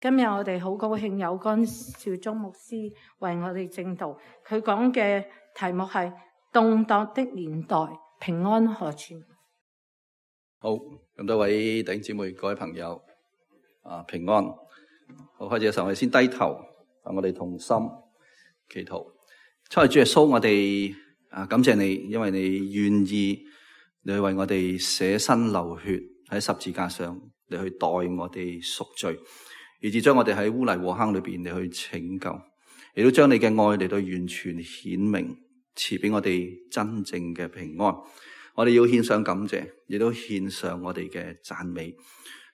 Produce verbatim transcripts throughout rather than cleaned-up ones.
今日我哋好高興有干兆忠牧師為我哋證道，佢講嘅題目係動盪的年代，平安何處？好，咁多位弟兄姊妹、各位朋友啊，平安。好，開始嘅時候我哋先低頭，我哋同心祈禱。親愛主耶穌，我哋啊感謝你，因為你願意你去為我哋捨身流血喺十字架上，你去代我哋贖罪。以致將我哋喺污泥和坑裏邊嚟去拯救，亦都將你嘅愛嚟到完全顯明，賜俾我哋真正嘅平安。我哋要獻上感謝，亦都獻上我哋嘅讚美。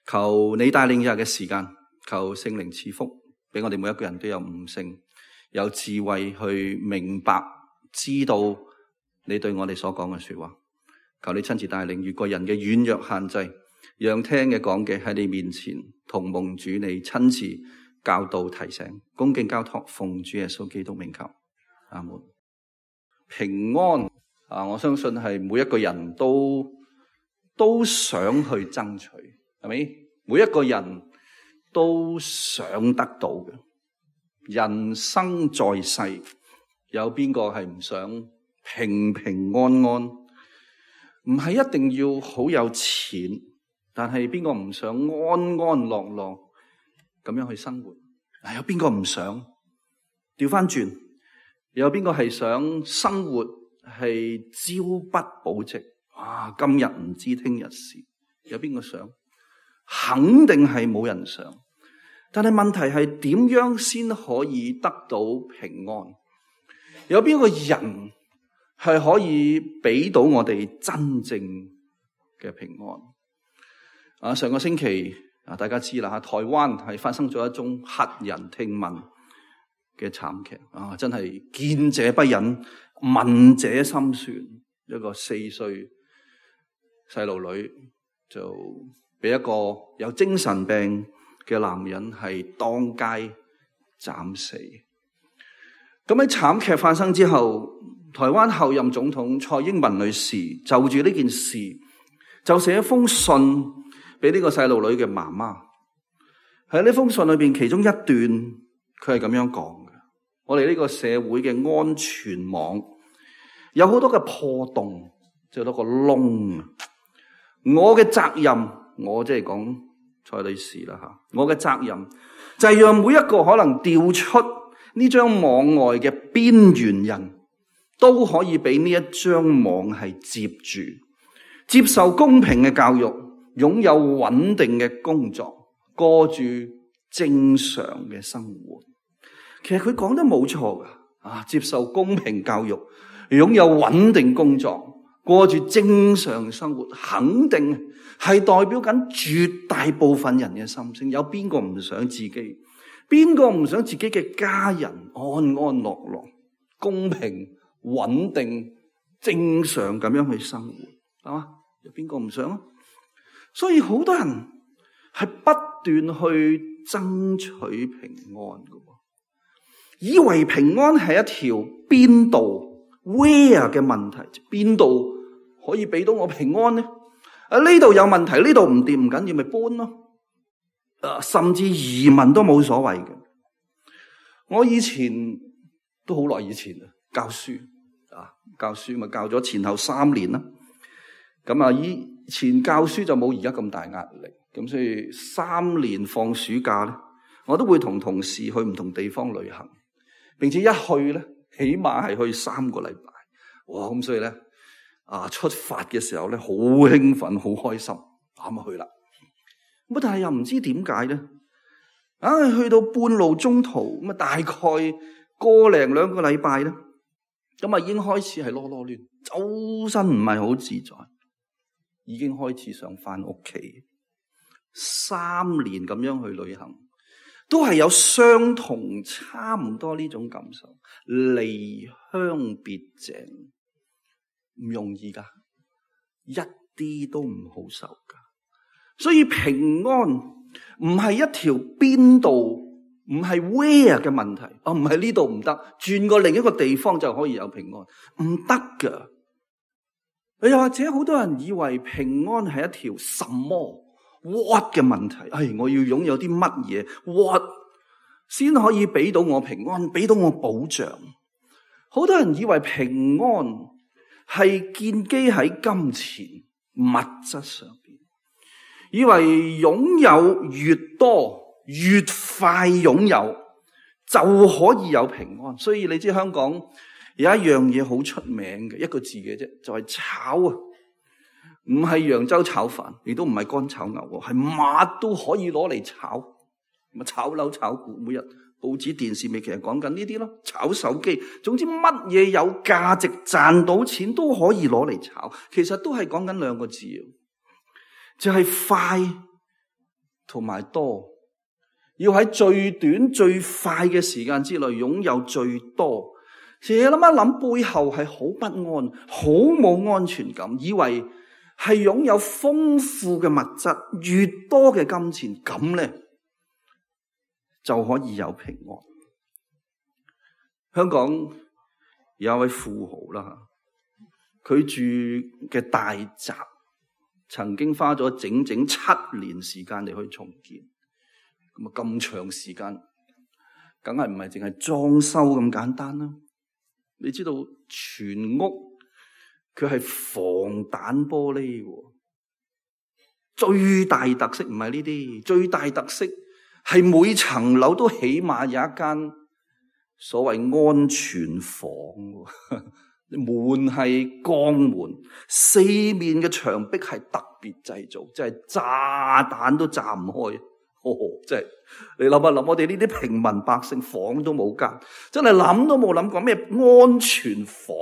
求你帶領以下嘅時間，求聖靈賜福，俾我哋每一個人都有悟性，有智慧去明白，知道你對我哋所講嘅說話。求你親自帶領，越過人嘅軟弱限制，讓聽嘅講嘅喺你面前同蒙主你親自教導提醒，恭敬交託，奉主耶穌基督名求，阿門。平安啊！我相信係每一個人都都想去爭取，係咪？每一個人都想得到嘅。人生在世，有邊個係唔想平平安安？唔係一定要好有錢。但係邊個唔想安安樂樂咁樣去生活？有邊個唔想？調翻轉，有邊個係想生活係朝不保夕？哇！今日唔知聽日事，有邊個想？肯定係冇人想。但係問題係點樣先可以得到平安？有邊個人係可以俾到我哋真正嘅平安？啊！上個星期啊，大家知啦吓，台灣係發生咗一宗駭人聽聞嘅慘劇啊！真係見者不忍，聞者心酸。一個四歲細路女就俾一個有精神病嘅男人係當街斬死。咁喺慘劇發生之後，台灣後任總統蔡英文女士就住呢件事就寫一封信俾呢個細路女嘅媽媽。喺呢封信裏邊，其中一段佢係咁樣講嘅：我哋呢個社會嘅安全網有好多嘅破洞，有好多個窿。我嘅責任，我即係講蔡女士啦吓，我嘅責任就係讓每一個可能掉出呢張網外嘅邊緣人都可以俾呢一張網係接住，接受公平嘅教育，擁有穩定嘅工作，過住正常嘅生活。其實佢講得冇錯噶，啊，接受公平教育，擁有穩定工作，過住正常生活，肯定係代表緊絕大部分人嘅心聲。有邊個唔想自己？邊個唔想自己嘅家人安安樂樂、公平、穩定、正常咁樣去生活？係嘛？有邊個唔想啊？所以好多人係不斷去爭取平安嘅，以為平安係一條邊度 where 嘅問題，邊度可以俾到我平安呢？啊，呢度有問題，呢度唔掂唔緊要，咪搬咯。啊，甚至移民都冇所謂嘅。我以前都好耐以前啊，教書啊，教書咪教咗前後三年啦。咁啊，以前教書就冇而家咁大壓力，咁所以三年放暑假咧，我都會同同事去唔同地方旅行，並且一去咧，起碼係去三個禮拜。哇！咁所以咧，啊出發嘅時候咧，好興奮，好開心，咁啊去啦。咁但係又唔知點解咧，啊去到半路中途咁啊，大概個零兩個禮拜咧，咁啊已經開始係囉囉攣，周身唔係好自在。已經開始想翻屋企，三年咁樣去旅行，都係有相同差唔多呢種感受，離鄉別井，唔容易噶，一啲都唔好受噶。所以平安唔係一條邊度，唔係 where 嘅問題，啊唔係呢度唔得，轉過另一個地方就可以有平安，唔得噶。又或者好多人以為平安係一條什麼 what 嘅問題。哎，我要擁有啲乜嘢 what 先可以俾到我平安，俾到我保障？好多人以為平安係建基喺金錢物質上邊，以為擁有越多越快擁有就可以有平安。所以你知香港有一樣嘢好出名嘅，一個字嘅啫，就係炒啊！唔係揚州炒飯，亦都唔係乾炒牛，係乜都可以攞嚟炒。咁啊，炒樓炒股，每日報紙電視咪其實講緊呢啲咯，炒手機，總之乜嘢有價值賺到錢都可以攞嚟炒。其實都係講緊兩個字，就係快同埋多，要喺最短最快嘅時間之內擁有最多。成日諗一諗，背後係好不安，好冇安全感，以為係擁有豐富嘅物質，越多嘅金錢，咁咧就可以有平安。香港有一位富豪啦，佢住嘅大宅曾經花咗整整七年時間嚟去重建。咁啊，咁長時間，梗係唔係淨係裝修咁簡單啦。你知道全屋佢係防彈玻璃喎，最大特色唔係呢啲，最大特色係每層樓都起碼有一間所謂安全房，門係鋼門，四面嘅牆壁係特別製造，即係炸彈都炸唔開。哦，即係你諗一諗，我哋呢啲平民百姓房都冇間，真係諗都冇諗過咩安全房，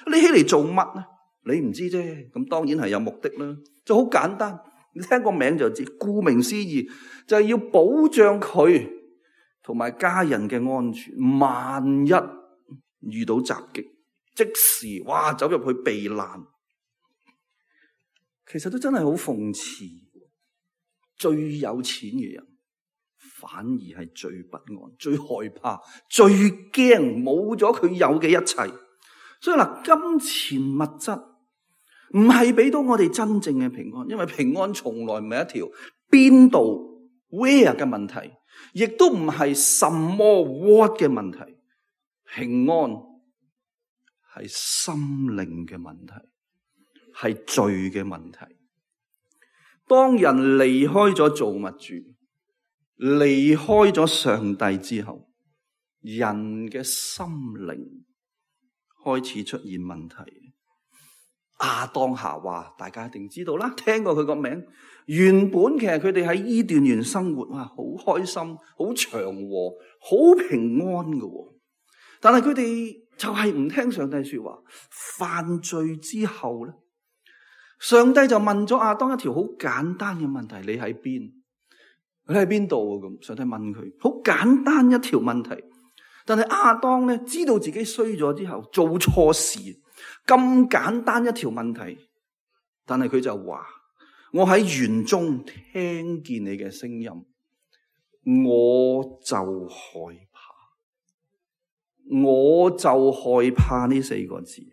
你起嚟做乜呢？你唔知啫，咁當然係有目的啦，就好簡單，你聽個名就知，顧名思義就係要保障佢同埋家人嘅安全，萬一遇到襲擊，即時哇走入去避難。其實都真係好諷刺，最有錢嘅人反而係最不安、最害怕、最驚冇咗佢有嘅一切。所以嗱，金錢物質唔係俾到我哋真正嘅平安，因為平安從來唔係一條邊度 where 嘅問題，亦都唔係什麼 what 嘅問題。平安係心靈嘅問題，係罪嘅問題。當人離開咗造物主，離開咗上帝之後，人嘅心靈開始出現問題。亞當夏娃大家一定知道啦，聽過佢個名。原本其實佢哋喺伊甸園生活，哇，好開心，好祥和，好平安嘅。但係佢哋就係唔聽上帝說話，犯罪之後咧，上帝就問咗亞當一條好簡單嘅問題：你喺邊？你喺邊度啊？咁上帝問佢，好簡單一條問題。但係亞當咧知道自己衰咗之後，做錯事，咁簡單一條問題，但係佢就話：我喺園中聽見你嘅聲音，我就害怕，我就害怕呢四個字。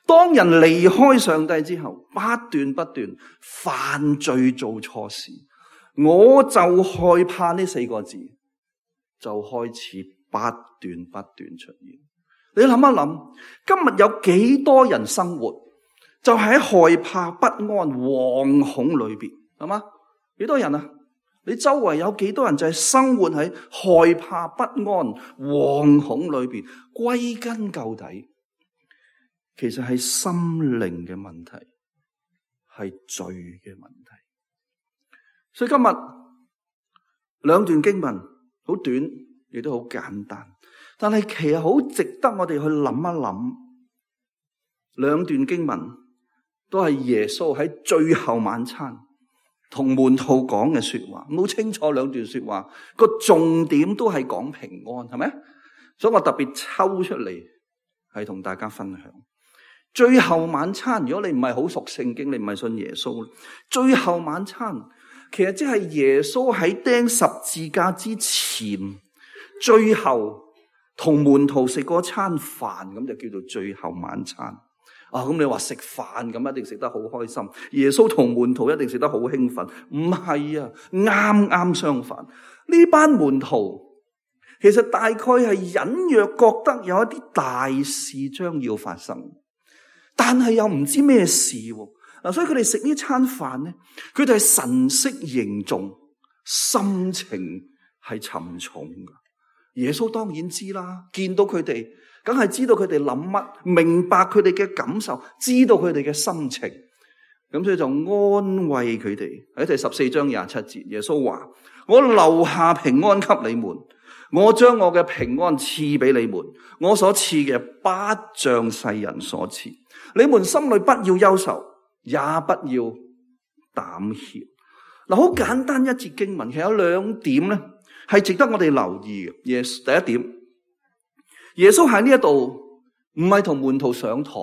當人離開上帝之後，不斷不斷犯罪做錯事，我就害怕呢四個字就開始不斷不斷出現。你諗一諗，今日有幾多人生活就喺害怕不安惶恐裏邊，係嘛？幾多人啊？你周圍有幾多人就係生活喺害怕不安惶恐裏邊？歸根究底，其實係心靈嘅問題，係罪嘅問題。所以今日兩段經文好短，亦都好簡單，但係其實好值得我哋去諗一諗。兩段經文都係耶穌喺最後晚餐同門徒講嘅說話，好清楚兩段說話個重點都係講平安，係咪？所以我特別抽出嚟係同大家分享。最後晚餐，如果你唔係好熟聖經，你唔係信耶穌，最後晚餐其實即係耶穌喺釘十字架之前，最後同門徒食嗰餐飯，咁就叫做最後晚餐。啊，咁你話食飯咁一定食得好開心，耶穌同門徒一定食得好興奮？唔係啊，啱啱相反。呢班門徒其實大概係隱約覺得有一啲大事將要發生，但係又唔知咩事喎。嗱，所以佢哋食呢餐飯咧，佢哋係神色凝重，心情係沉重噶。耶穌當然知啦，見到佢哋，梗係知道佢哋諗乜，明白佢哋嘅感受，知道佢哋嘅心情，咁所以就安慰佢哋。喺第十四章廿七節，耶穌話：我留下平安給你們，我將我嘅平安賜俾你們，我所賜嘅不像世人所賜。你們心裏不要憂愁，也不要膽怯。嗱，好簡單一節經文，其實有兩點咧，係值得我哋留意嘅。耶穌第一點，耶穌喺呢一度唔係同門徒上堂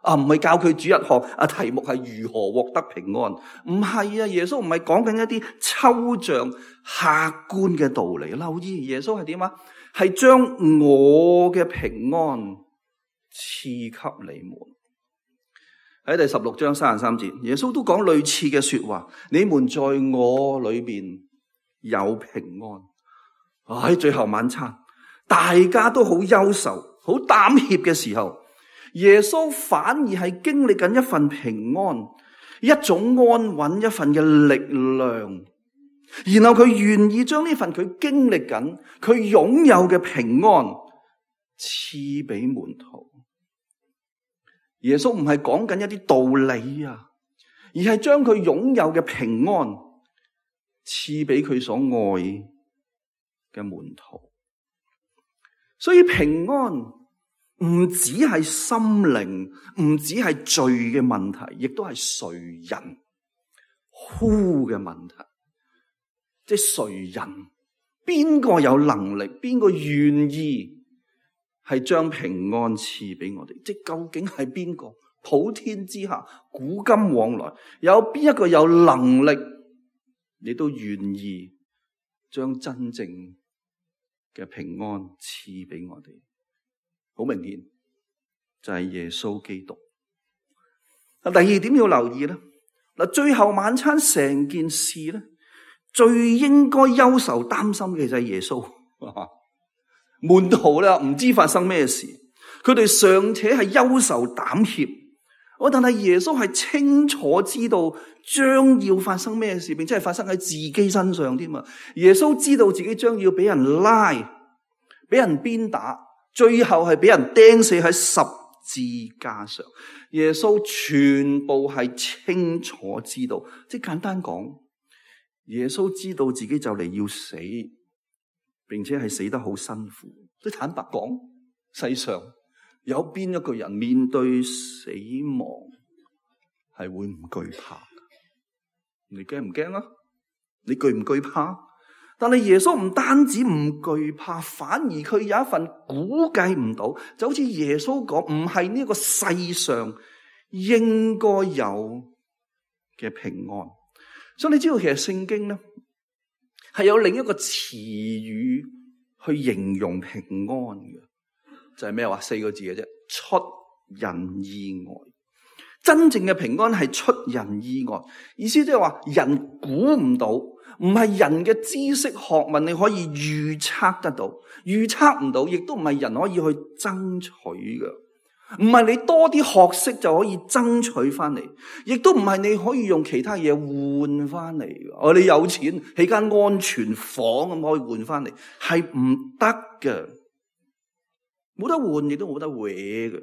啊，唔係教佢主日學啊，題目係如何獲得平安。唔係啊，耶穌唔係講緊一啲抽象客觀嘅道理。留意耶穌係點啊？係將我嘅平安賜給你們。喺第十六章三十三節，耶穌都講類似嘅說話：你們在我裏邊有平安。喺最後晚餐，大家都好憂愁、好膽怯嘅時候，耶穌反而係經歷緊一份平安，一種安穩，一份嘅力量。然後佢願意將呢份佢經歷緊、佢擁有嘅平安賜俾門徒。耶穌唔係講緊一啲道理啊，而係將佢擁有嘅平安賜俾佢所愛嘅門徒。所以平安唔只係心靈，唔只係罪嘅問題，亦都係誰人呼嘅問題。即係誰人，邊個有能力，邊個願意係將平安賜俾我哋？即究竟係邊個？普天之下，古今往來，有邊一個有能力，你都願意將真正嘅平安賜俾我哋？好明顯，就係耶穌基督。第二點要留意咧，嗱，最後晚餐成件事咧，最應該憂愁擔心嘅就係耶穌。門徒咧唔知發生咩事，佢哋尚且係憂愁膽怯，我但係耶穌係清楚知道將要發生咩事，並且係發生喺自己身上添啊！耶穌知道自己將要俾人拉，俾人鞭打，最後係俾人釘死喺十字架上。耶穌全部係清楚知道，即係簡單講，耶穌知道自己就嚟要死，並且係死得好辛苦。即坦白講，世上有邊一個人面對死亡係會唔懼怕？你驚唔驚啊？你懼唔懼怕？但係耶穌唔單止唔懼怕，反而佢有一份估計唔到，就好似耶穌講，唔係呢個世上應該有嘅平安。所以你知道其實聖經咧係有另一個詞語去形容平安嘅，就係咩話？四個字嘅啫，出人意外。真正嘅平安係出人意外，意思即係話人估唔到，唔係人嘅知識學問你可以預測得到，預測唔到，亦都唔係人可以去爭取嘅。唔係你多啲學識就可以爭取翻嚟，亦都唔係你可以用其他嘢換翻嚟嘅。哦，你有錢起間安全房咁可以換翻嚟，係唔得嘅，冇得換亦都冇得搲嘅。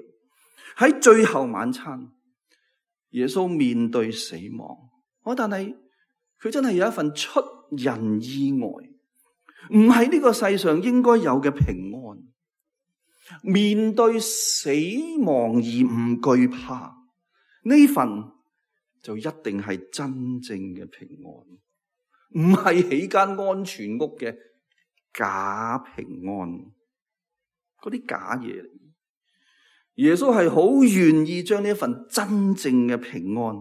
喺最後晚餐，耶穌面對死亡，哦，但係佢真係有一份出人意外，唔係呢個世上應該有嘅平安。面對死亡而唔懼怕，呢份就一定係真正嘅平安，唔係起間安全屋嘅假平安，嗰啲假嘢嚟。耶穌係好願意將呢一份真正嘅平安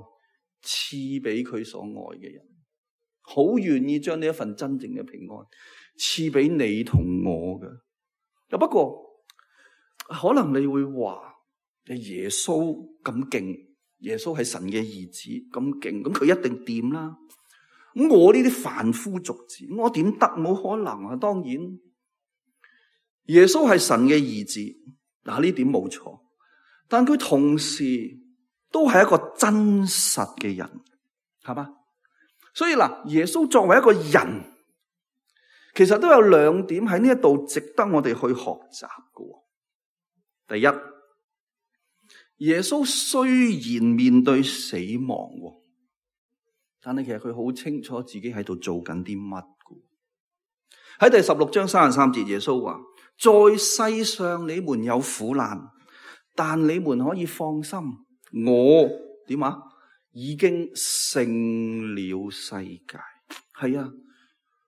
賜俾佢所愛嘅人，好願意將呢一份真正嘅平安賜俾你同我嘅。不過可能你會話，耶穌咁勁，耶穌係神嘅兒子咁勁，咁佢一定掂啦。咁我呢啲凡夫俗子，我點得？冇可能啊！當然，耶穌係神嘅兒子，嗱呢點冇錯。但佢同時都係一個真實嘅人，係嘛？所以嗱，耶穌作為一個人，其實都有兩點喺呢一度值得我哋去學習嘅。第一，耶穌雖然面對死亡，但係其實佢好清楚自己喺度做緊啲乜嘅。喺第十六章三十三節，耶穌話：在世上你們有苦難，但你們可以放心，我點啊？已經勝了世界。係啊，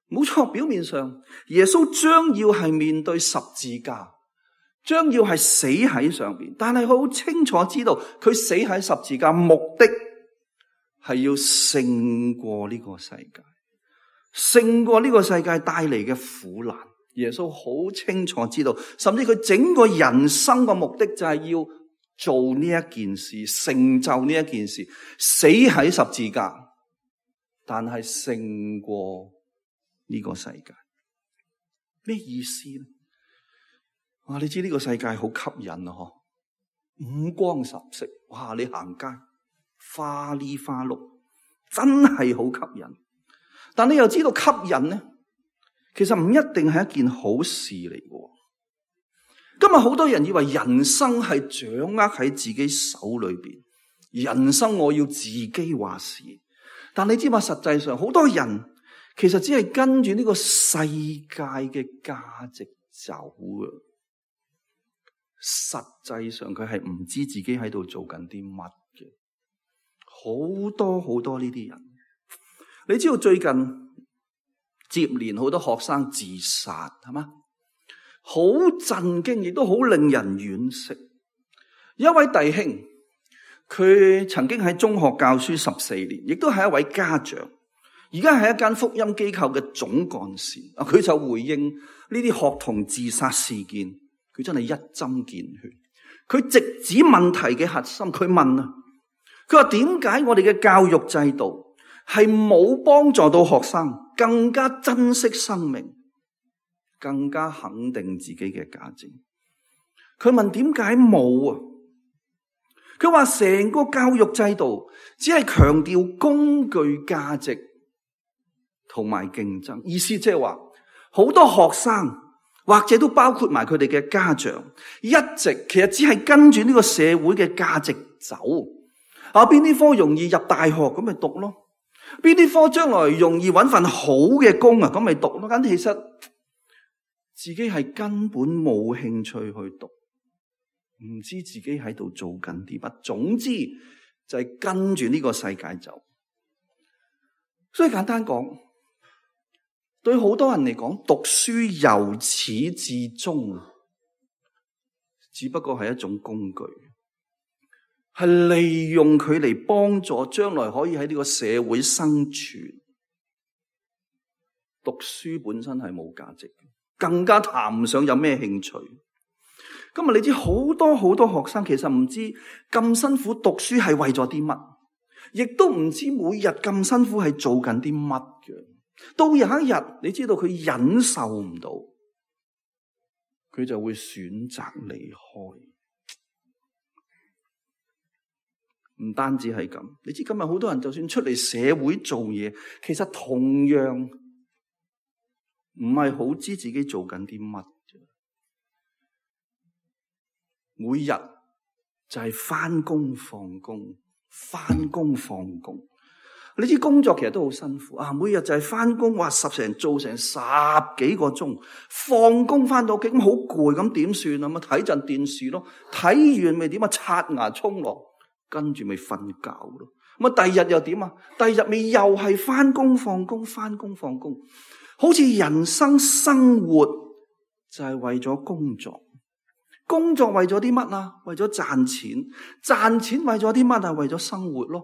冇錯，表面上耶穌將要係面對十字架，將要係死喺上邊，但係佢好清楚知道佢死喺十字架目的係要勝過呢個世界，勝過呢個世界帶嚟嘅苦難。耶穌好清楚知道，甚至佢整個人生嘅目的就係要做呢一件事，成就呢一件事，死喺十字架，但係勝過呢個世界。咩意思呢？哇！你知呢個世界好吸引啊，嗬，五光十色，哇！你行街花哩花碌，真係好吸引。但你又知道吸引呢，其實唔一定係一件好事嚟嘅。今日好多人以為人生係掌握喺自己手裏邊，人生我要自己話事。但你知嘛？實際上好多人其實只係跟住呢個世界嘅價值走啊。實際上佢係唔知自己喺度做緊啲乜嘅。好多好多呢啲人，你知道最近接連好多學生自殺，係嘛？好震驚，亦都好令人惋惜。有一位弟兄，佢曾經喺中學教書十四年，亦都係一位家長，而家係一間福音機構嘅總幹事。啊，佢就回應呢啲學童自殺事件，佢真係一針見血。佢直指問題嘅核心，佢問啊，佢話點解我哋嘅教育制度係冇幫助到學生更加珍惜生命，更加肯定自己嘅價值？佢問點解冇啊？佢話成個教育制度只係強調工具價值同埋競爭，意思即係話好多學生或者都包括埋佢哋嘅家長，一直其實只係跟住呢個社會嘅價值走。啊，邊啲科容易入大學咁咪讀咯，邊啲科將來容易搵份好嘅工啊，咁咪讀咯。咁其實自己係根本冇興趣去讀，唔知自己喺度做緊啲乜。總之就係跟住呢個世界走。所以簡單講，對好多人嚟講，讀書由始至終只不過係一種工具，係利用佢嚟幫助將來可以喺呢個社會生存。讀書本身係冇價值，更加談唔上有咩興趣。今日你知好多好多學生其實唔知咁辛苦讀書係為咗啲乜，亦都唔知每日咁辛苦係做緊啲乜嘅。到有一日你知道佢忍受唔到，佢就會選擇離開。唔單止係咁，你知今日好多人就算出嚟社會做嘢，其實同樣唔係好知自己做緊啲乜。每日就係返工放工，返工放工。你知工作其實都好辛苦啊！每日就係返工，哇，十成做成十幾個鐘，放工返到屋企咁好攰，咁點算啊？咁睇陣電視咯，睇完咪點啊？刷牙沖涼，跟住咪瞓覺咯。咁啊，第二日又點啊？第二日咪又係返工放工，返工放工，好似人生生活就係為咗工作。工作為咗啲乜啊？為咗賺錢。賺錢為咗啲乜啊？為咗生活咯。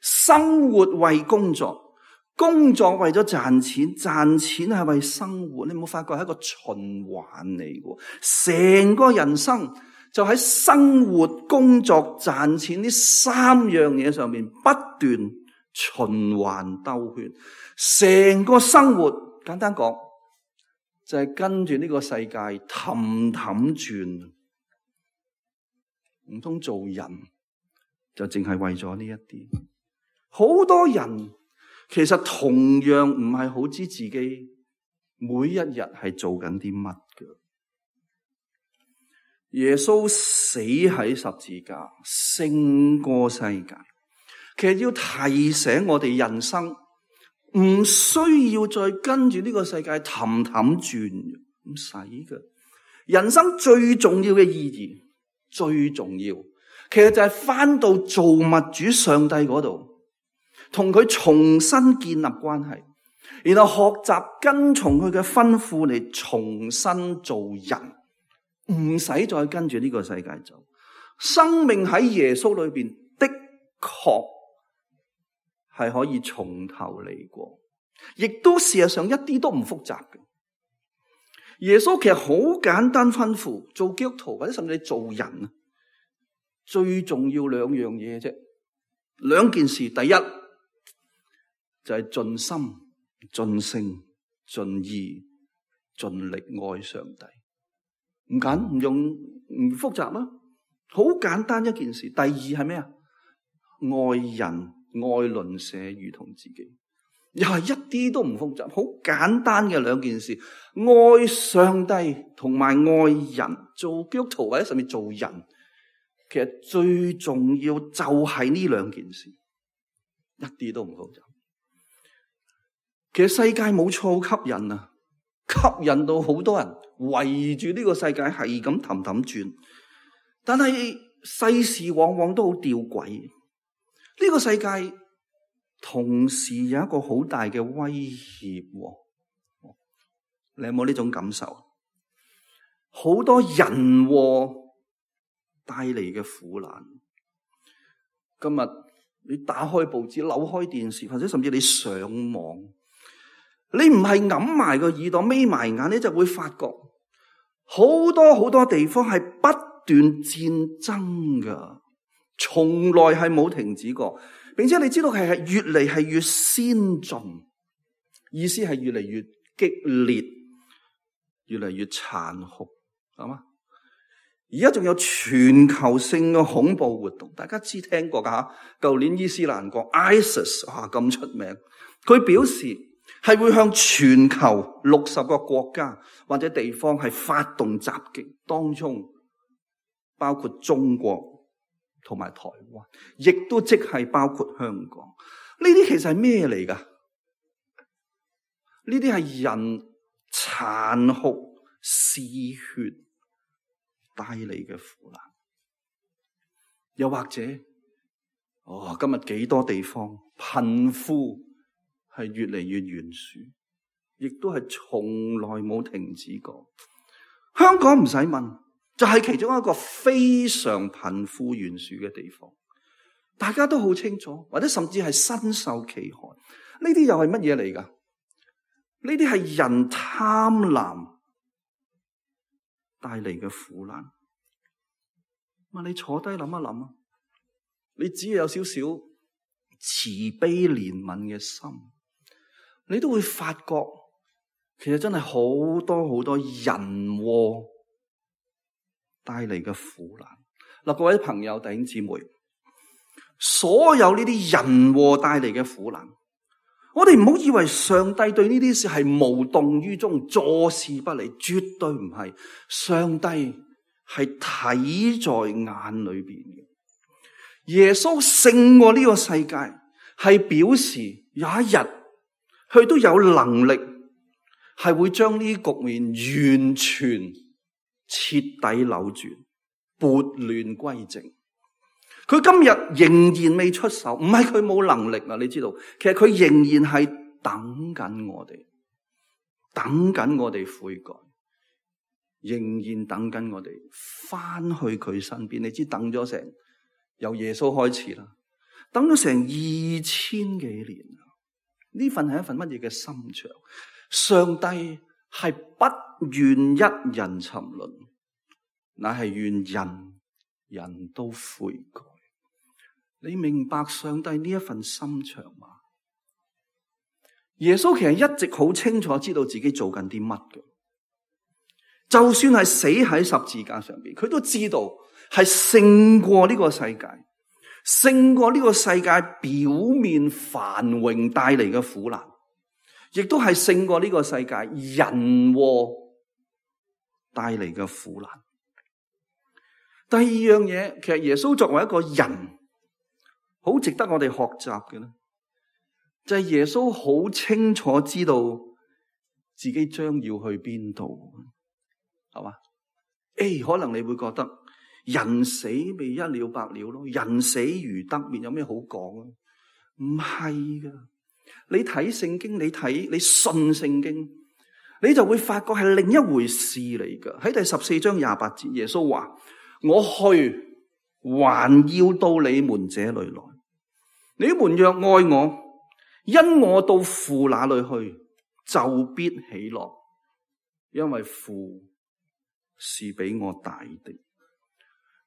生活為工作，工作為咗賺錢，賺錢係為生活。你有冇發覺係一個循環嚟嘅？成個人生就喺生活、工作、賺錢呢三樣嘢上面不斷循環兜圈，成個生活簡單講就係跟住呢個世界氹氹轉。唔通做人就淨係為咗呢一啲？好多人其實同樣唔係好知自己每一日係做緊啲乜嘅。耶穌死喺十字架，勝過世界。其實要提醒我哋人生唔需要再跟住呢個世界氹氹轉，唔使嘅。人生最重要嘅意義，最重要，其實就係返到造物主上帝嗰度，同佢重新建立關係，然後學習跟從佢嘅吩咐嚟重新做人。唔使再跟住呢個世界走，生命喺耶穌裏邊的確係可以從頭嚟過，亦都事實上一啲都唔複雜嘅。耶穌其實好簡單吩咐，做基督徒或者甚至你做人啊，最重要兩樣嘢啫，兩件事。第一就係盡心、盡性、盡意、盡力愛上帝。唔緊唔用唔複雜啦，好簡單一件事。第二係咩啊？愛人愛鄰舍如同自己，又係一啲都唔複雜，好簡單嘅兩件事。愛上帝同埋愛人，做基督徒或者甚至做人，其實最重要就係呢兩件事，一啲都唔複雜。其實世界冇錯吸引啊，吸引到好多人圍住呢個世界係咁氹氹轉，但係世事往往都好吊詭。呢個世界同時有一個好大嘅威脅，你有冇呢種感受？好多人禍帶嚟嘅苦難。今日你打開報紙、扭開電視，或者甚至你上網，你唔係揞埋個耳朵、眯埋眼，你就會發覺好多好多地方係不斷戰爭噶，從來係冇停止過，並且你知道係係越嚟係越先進，意思係越嚟越激烈，越嚟越殘酷，係嘛？而家仲有全球性嘅恐怖活動，大家知聽過噶吓？舊年伊斯蘭國 ISIS 啊咁出名，佢表示係會向全球六十個國家或者地方係發動襲擊，當中包括中國同埋台灣，亦都即係包括香港。呢啲其實係咩嚟噶？呢啲係人殘酷嗜血帶嚟嘅苦難。又或者，哦，今日幾多地方貧富係越嚟越懸殊，亦都係從來冇停止過。香港唔使問，就係其中一個非常貧富懸殊嘅地方，大家都好清楚，或者甚至係身受其害。呢啲又係乜嘢嚟㗎？呢啲係人貪婪帶嚟嘅苦難。咁你坐低諗一諗啊，你只要有少少慈悲憐憫嘅心，你都會發覺，其實真係好多好多人禍帶嚟嘅苦難。嗱，各位朋友弟兄姊妹，所有呢啲人禍帶嚟嘅苦難，我哋唔好以為上帝對呢啲事係無動於衷、坐視不理，絕對唔係。上帝係睇在眼裏邊嘅。耶穌勝過呢個世界，係表示有一日佢都有能力係會將呢啲局面完全徹底扭轉，撥亂歸正。佢今日仍然未出手，唔係佢冇能力啊！你知道，其實佢仍然係等緊我哋，等緊我哋悔改，仍然等緊我哋翻去佢身邊。你知等咗成由耶穌開始啦，等咗成二千幾年啦。呢份係一份乜嘢嘅心腸？上帝係不願一人沉淪，乃係願人人都悔改。你明白上帝呢一份心腸嗎？耶穌其實一直好清楚知道自己做緊啲乜嘅，就算係死喺十字架上邊，佢都知道係勝過呢個世界，勝過呢個世界表面繁榮帶嚟嘅苦難，亦都係勝過呢個世界人禍帶嚟嘅苦難。第二樣嘢，其實耶穌作為一個人，好值得我哋學習嘅咧，就係耶穌好清楚知道自己將要去邊度，係嘛？誒，可能你會覺得人死咪一了百了咯，人死如得滅，有咩好講啊？唔係噶，你睇聖經，你睇你信聖經，你就會發覺係另一回事嚟噶。喺第十四章廿八節，耶穌話：我去，還要到你們這裏來。你們若愛我，因我到父那裏去，就必喜樂，因為父是比我大的。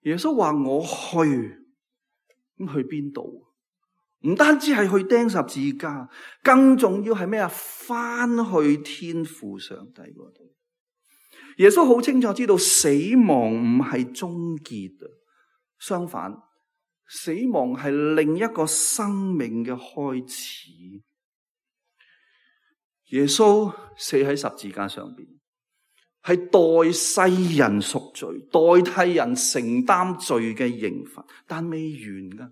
耶穌話我去，咁去邊度？唔單止係去釘十字架，更重要係咩啊？翻去天父上帝嗰度。耶穌好清楚知道死亡唔係終結啊，相反，死亡係另一個生命嘅開始。耶穌死喺十字架上邊，係代世人贖罪，代替人承擔罪嘅刑罰，但未完噶。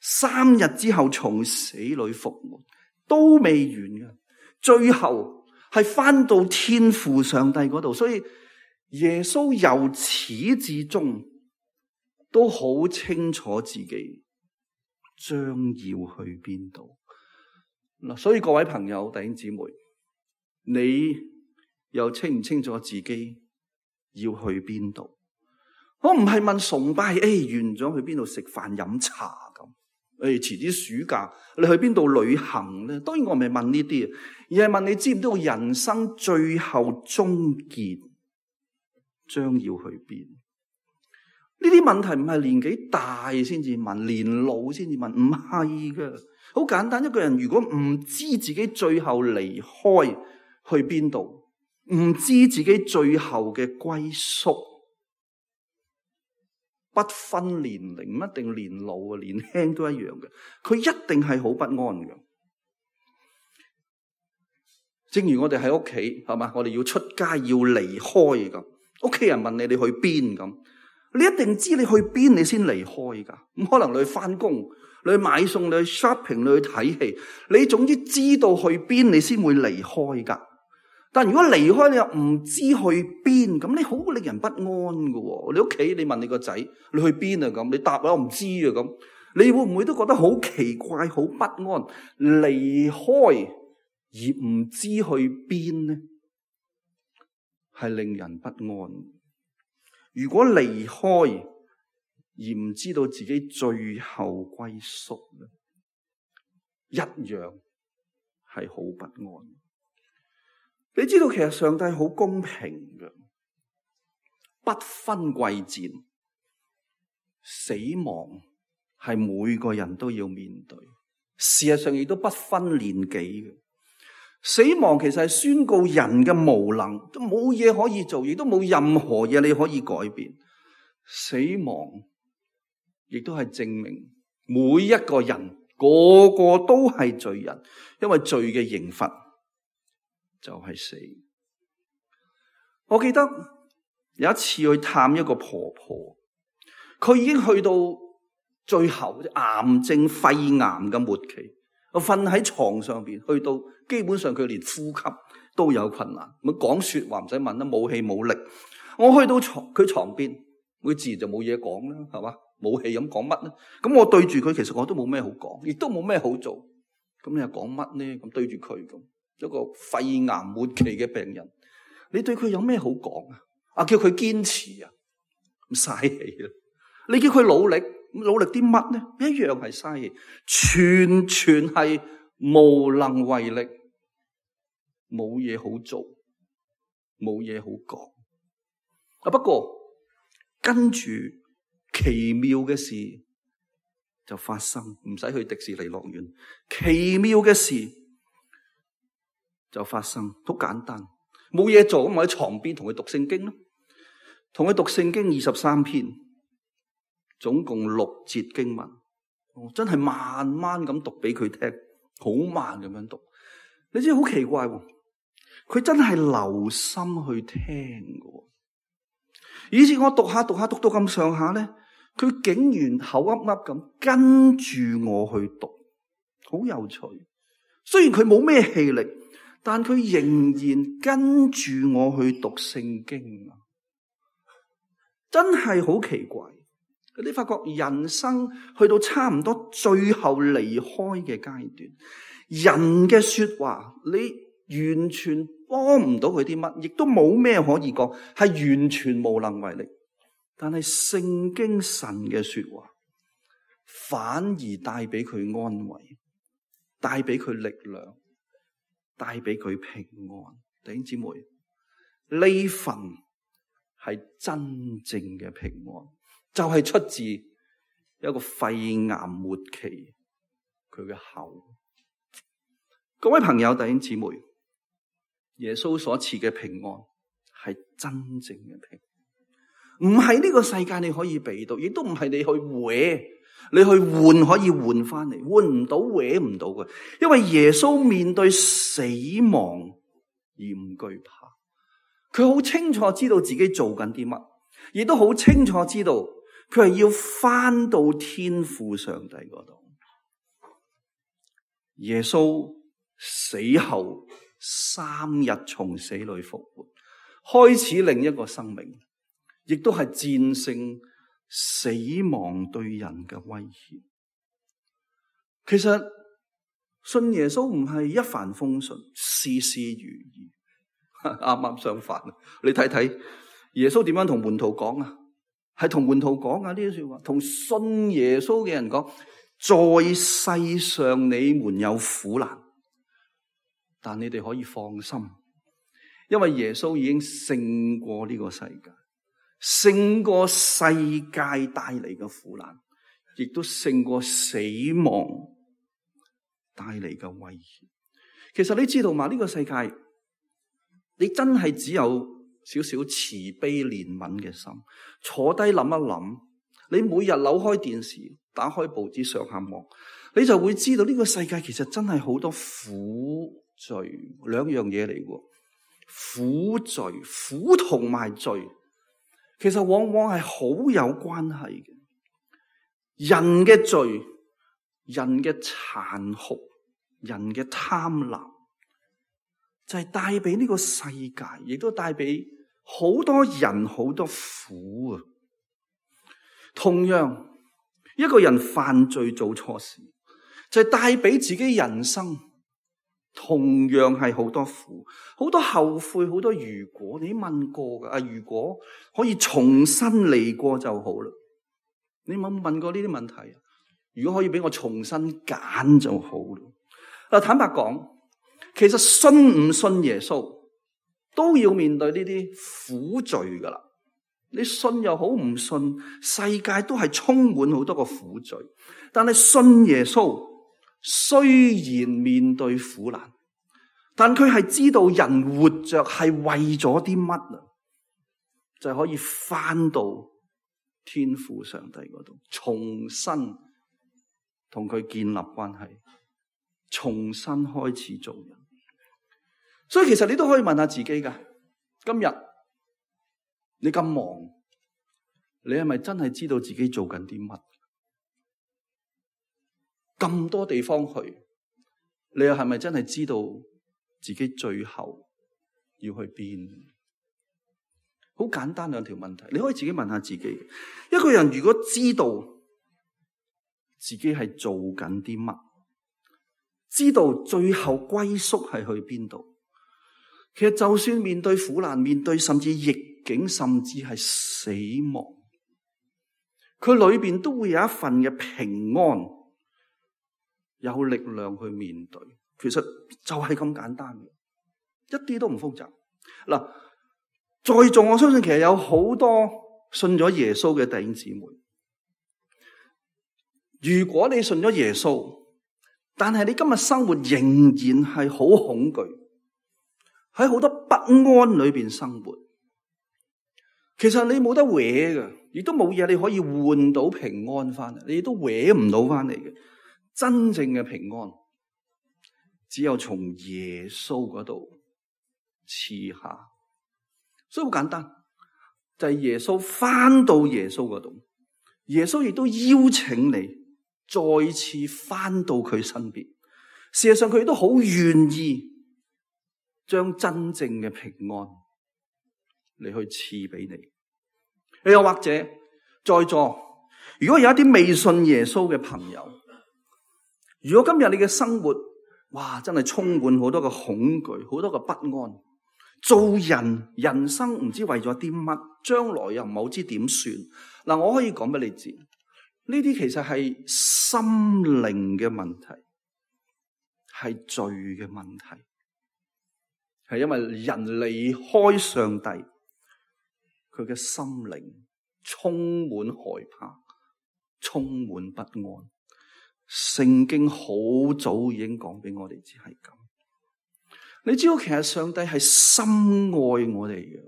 三日之後從死裏復活，都未完噶。最後係翻到天父上帝嗰度，所以耶穌由始至終都好清楚自己將要去邊度。嗱，所以各位朋友、弟兄姊妹，你又清唔清楚自己要去邊度？我唔係問崇拜，誒、哎，完咗去邊度食飯飲茶咁？誒、哎，遲啲暑假你去邊度旅行咧？當然我唔係問呢啲，而係問你知唔知道人生最後終結將要去邊？呢啲問題唔係年紀大先至問，年老先至問，唔係噶。好簡單，一個人如果唔知自己最後離開去邊度，唔知自己最後嘅歸宿，不分年齡，唔一定年老啊，年輕都一樣嘅，佢一定係好不安嘅。正如我哋喺屋企，係嘛，我哋要出街要離開咁，屋企人問你你去邊咁，你一定知你去邊你先離開噶。咁可能你去翻工，你去買餸，你去 shopping， 你去睇戲，你總之知道去邊你先會離開噶。但如果離開你又唔知去邊，咁你好令人不安噶。你屋企你問你個仔你去邊啊咁，你答我唔知啊咁，你會唔會都覺得好奇怪、好不安？離開而唔知去邊呢，係令人不安。如果離開而唔知道自己最後歸宿咧，一樣係好不安。你知道其實上帝好公平嘅，不分貴賤，死亡係每個人都要面對。事實上亦都不分年紀嘅。死亡其實係宣告人嘅無能，都冇嘢可以做，亦都冇任何嘢你可以改變。死亡亦都係證明每一個人個個都係罪人，因為罪嘅刑罰就係死。我記得有一次去探一個婆婆，佢已經去到最後癌症肺癌嘅末期，我瞓喺床上邊，去到基本上佢連呼吸都有困難，咁講說話唔使問啦，冇氣冇力。我去到床佢床邊，佢自然就冇嘢講啦，係嘛？冇氣咁講乜咧？咁我對住佢，其實我都冇咩好講，亦都冇咩好做。咁你又講乜咧？咁對住佢咁。一個肺癌末期嘅病人，你對佢有咩好講啊？啊，叫佢堅持啊，咁嘥氣啦！你叫佢努力，努力啲乜呢？一樣係嘥氣，全全係無能為力，冇嘢好做，冇嘢好講。啊，不過跟住奇妙嘅事就發生，唔使去迪士尼樂園，奇妙嘅事就發生，好簡單，冇嘢做咁，我喺床邊同佢讀聖經咯，同佢讀聖經二十三篇，總共六節經文，真係慢慢咁讀俾佢聽，好慢咁樣讀。你知好奇怪喎，佢真係留心去聽嘅，以至我讀下讀下讀到咁上下咧，佢竟然口噏噏咁跟住我去讀，好有趣。雖然佢冇咩氣力，但佢仍然跟住我去讀聖經啊！真係好奇怪。你發覺人生去到差唔多最後離開嘅階段，人嘅說話你完全幫唔到佢啲乜，亦都冇咩可以講，係完全無能為力。但係聖經神嘅說話反而帶俾佢安慰，帶俾佢力量，帶俾佢平安。弟兄姊妹，呢份係真正嘅平安，就係出自一個肺癌末期佢嘅口。各位朋友弟兄姊妹，耶穌所賜嘅平安係真正嘅平安，唔係呢個世界你可以俾到，亦都唔係你去搲，你去換可以換翻嚟，換唔到搲唔到嘅。因為耶穌面對死亡而唔懼怕，佢好清楚知道自己做緊啲乜，亦都好清楚知道佢係要翻到天父上帝嗰度。耶穌死後三日從死裏復活，開始另一個生命，亦都係戰勝死亡對人嘅威脅。其實信耶穌唔係一帆風順，事事如意，啱啱相反。你睇睇耶穌點樣同門徒講啊？係同門徒講啊，呢啲說話，同信耶穌嘅人講，在世上你們有苦難，但你哋可以放心，因為耶穌已經勝過呢個世界，勝過世界帶嚟嘅苦難，亦都勝過死亡帶嚟嘅威脅。其實你知道嘛？呢個世界，你真係只有少少慈悲憐憫嘅心，坐低諗一諗，你每日扭開電視，打開報紙上下望，你就會知道呢個世界其實真係好多苦罪，兩樣嘢嚟嘅。苦罪，苦同埋罪，其實往往係好有關係嘅。人嘅罪，人嘅殘酷，人嘅貪婪，就係帶俾呢個世界，亦都帶俾好多人好多苦啊！同樣，一個人犯罪做錯事，就係帶俾自己人生同樣係好多苦，好多後悔，好多如果。你問過噶啊？如果可以重新嚟過就好啦。你有冇問過呢啲問題啊？如果可以俾我重新揀就好啦。嗱，坦白講，其實信唔信耶穌都要面對呢啲苦罪噶啦。你信又好，唔信，世界都係充滿好多個苦罪。但係信耶穌，雖然面對苦難，但佢係知道人活着係為咗啲乜啊？就係可以翻到天父上帝嗰度，重新同佢建立關係，重新開始做人。所以其實你都可以問下自己噶，今日你咁忙，你係咪真係知道自己做緊啲乜？咁多地方去，你又係咪真係知道自己最後要去邊？好簡單兩條問題，你可以自己問下自己。一個人如果知道自己係做緊啲乜，知道最後歸宿係去邊度，其實就算面對苦難，面對甚至逆境，甚至係死亡，佢裏邊都會有一份嘅平安，有力量去面對。其實就係咁簡單嘅，一啲都唔複雜。嗱，在座我相信其實有好多信咗耶穌嘅弟兄姊妹，如果你信咗耶穌，但係你今日生活仍然係好恐懼，喺好多不安裏邊生活，其實你冇得搲嘅，亦都冇嘢你可以換到平安翻嚟，你亦都搲唔到翻嚟嘅。真正嘅平安，只有從耶穌嗰度賜下。所以好簡單，就係耶穌翻到耶穌嗰度，耶穌亦都邀請你再次翻到佢身邊。事實上佢亦都好願意將真正嘅平安嚟去賜俾你。又或者在座，如果有一啲未信耶穌嘅朋友，如果今日你嘅生活哇真係充滿好多嘅恐懼，好多嘅不安，做人人生唔知為咗啲乜，將來又唔好知點算。嗱，我可以講俾你知，呢啲其實係心靈嘅問題，係罪嘅問題，係因為人離開上帝，佢嘅心靈充滿害怕，充滿不安。聖經好早已經講俾我哋知係咁。你知道其實上帝係深愛我哋嘅，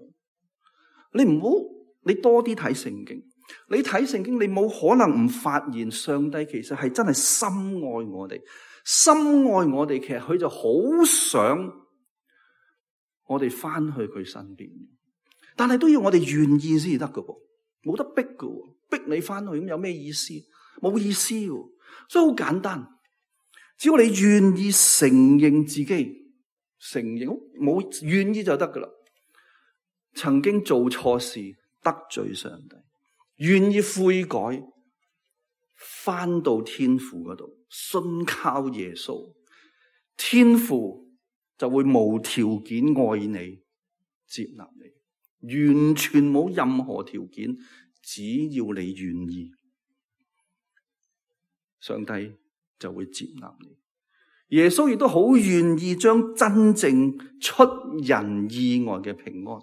你唔好你多啲睇聖經，你睇聖經你冇可能唔發現上帝其實係真係深愛我哋，深愛我哋，其實佢就好想我哋翻去佢身邊，但係都要我哋願意先至得㗎噃，冇得逼㗎，逼你翻去咁有咩意思？冇意思㗎。所以好簡單，只要你願意承認自己，承認冇願意就得噶啦。曾經做錯事得罪上帝，願意悔改，翻到天父嗰度，信靠耶穌，天父就會無條件愛你，接納你，完全冇任何條件，只要你願意。上帝就會接納你，耶穌亦都好願意將真正出人意外嘅平安，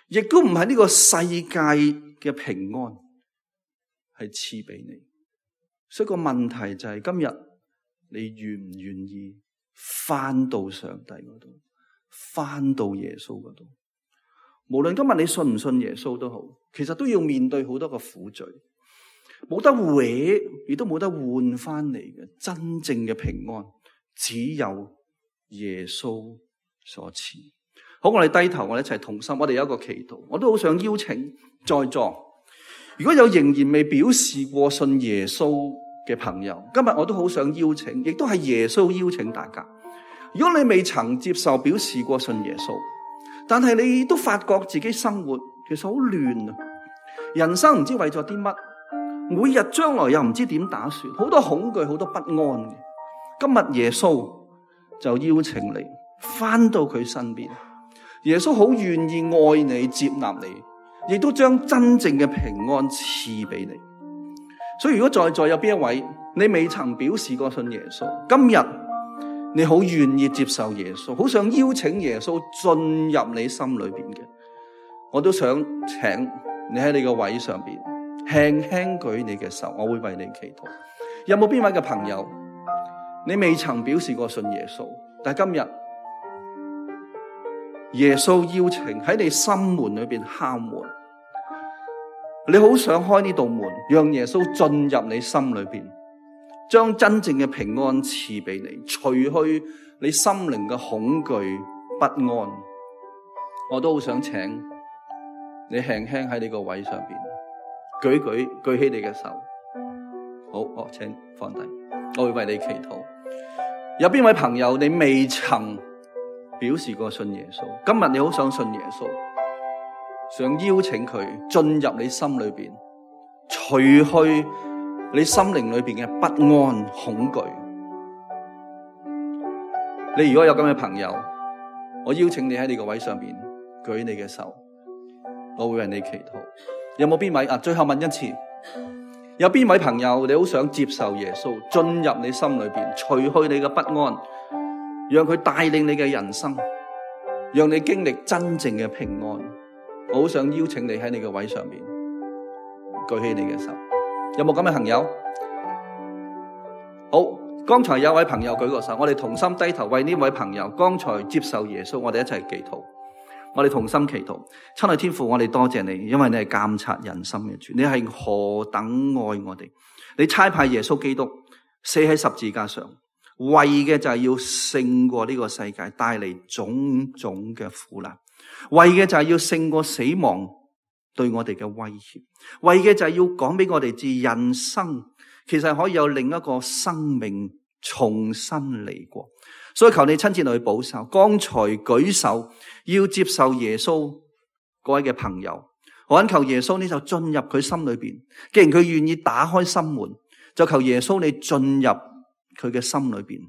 亦都唔係呢個世界嘅平安，係賜俾你。所以個問題就係今日你願唔願意翻到上帝嗰度，翻到耶穌嗰度？無論今日你信唔信耶穌都好，其實都要面對好多個苦罪。冇得搲，亦都冇得換翻嚟嘅真正嘅平安，只有耶穌所賜。好，我哋低頭，我哋一齊同心，我哋有一個祈禱。我都好想邀請在座，如果有仍然未表示過信耶穌嘅朋友，今日我都好想邀請，亦都係耶穌邀請大家。如果你未曾接受表示過信耶穌，但係你都發覺自己生活其實好亂啊，人生唔知為咗啲乜，每日將來又唔知點打算，好多恐懼，好多不安嘅。今日耶穌就邀請你翻到佢身邊，耶穌好願意愛你，接納你，亦都將真正嘅平安賜俾你。所以如果在座有邊一位你未曾表示過信耶穌，今日你好願意接受耶穌，好想邀請耶穌進入你心裏邊嘅，我都想請你喺你個位上邊輕輕舉你嘅手，我會為你祈禱。有冇邊位嘅朋友，你未曾表示過信耶穌，但係今日耶穌邀請喺你心門裏邊敲門，你好想開呢道門，讓耶穌進入你心裏邊，將真正嘅平安賜俾你，除去你心靈嘅恐懼不安。我都好想請你輕輕喺你個位上邊舉舉舉起你嘅手。好，我請放低，我會為你祈禱。有邊位朋友你未曾表示過信耶穌，今日你好想信耶穌，想邀請佢進入你心裏邊，除去你心靈裏邊嘅不安恐懼。你如果有咁嘅朋友，我邀請你喺你個位上邊舉你嘅手，我會為你祈禱。有冇邊位啊？最後問一次，有邊位朋友你好想接受耶穌進入你心裏邊，除去你嘅不安，讓佢帶領你嘅人生，讓你經歷真正嘅平安？我好想邀請你喺你嘅位上面舉起你嘅手。有冇咁嘅朋友？好，剛才有位朋友舉個手，我哋同心低頭為呢位朋友剛才接受耶穌，我哋一齊祈禱。我哋同心祈禱。親愛天父，我哋多謝你，因為你係監察人心嘅主，你係何等愛我哋。你差派耶穌基督死喺十字架上，為嘅就係要勝過呢個世界，帶嚟種種嘅苦難，為嘅就係要勝過死亡對我哋嘅威脅，為嘅就係要講俾我哋知，人生其實可以有另一個生命重新嚟過。所以求你親自嚟去保守剛才舉手要接受耶穌嗰位嘅朋友，我懇求耶穌你就進入佢心裏邊，既然佢願意打開心門，就求耶穌你進入佢嘅心裏邊，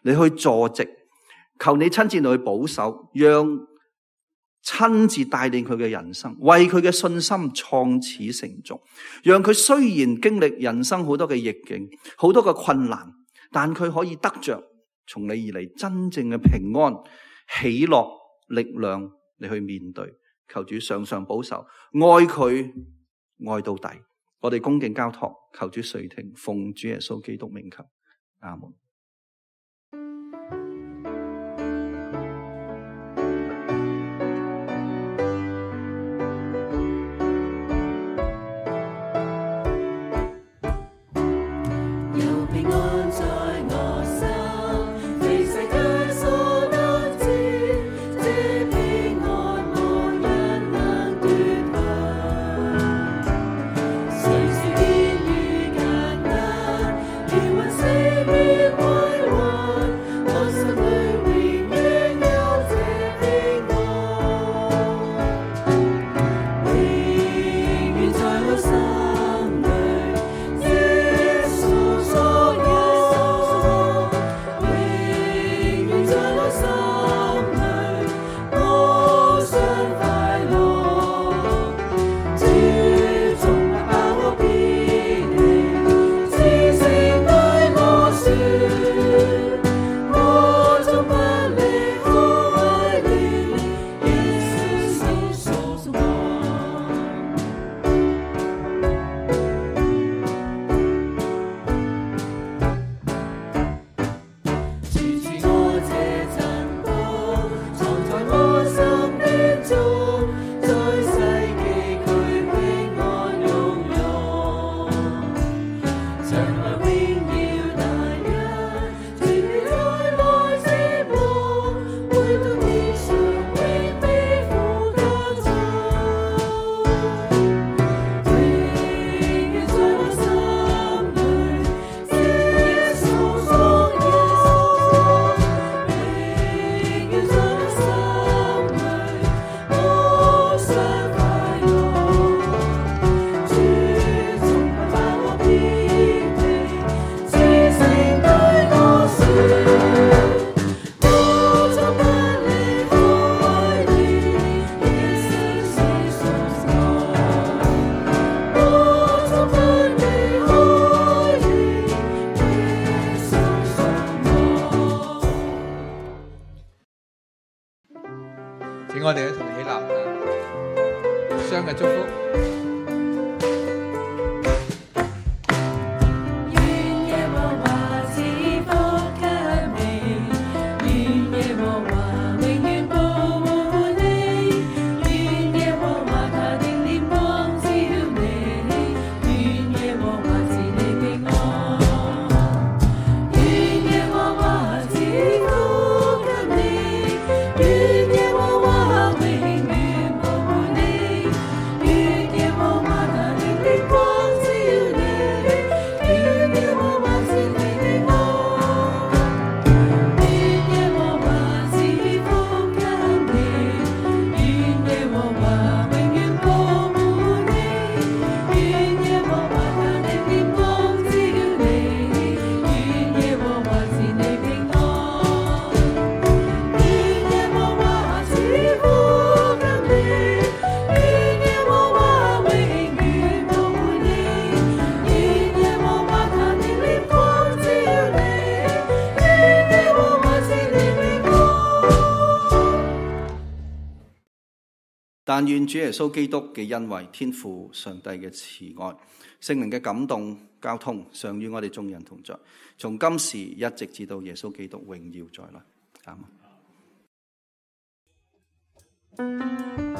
你去坐席，求你親自嚟去保守，讓親自帶領佢嘅人生，為佢嘅信心創始成終，讓佢雖然經歷人生好多嘅逆境，好多嘅困難，但佢可以得着從你而嚟真正嘅平安、喜樂、力量，你去面對。求主常常保守，愛佢愛到底。我哋恭敬交託，求主垂聽，奉主耶穌基督名求，阿門。我哋一同起立，相嘅祝福。願但願主耶穌基督嘅恩惠、天父上帝嘅慈愛、聖靈嘅感動交通，常與我哋眾人同在，從今時一直至到耶穌基督榮耀再來。阿們。Thank you.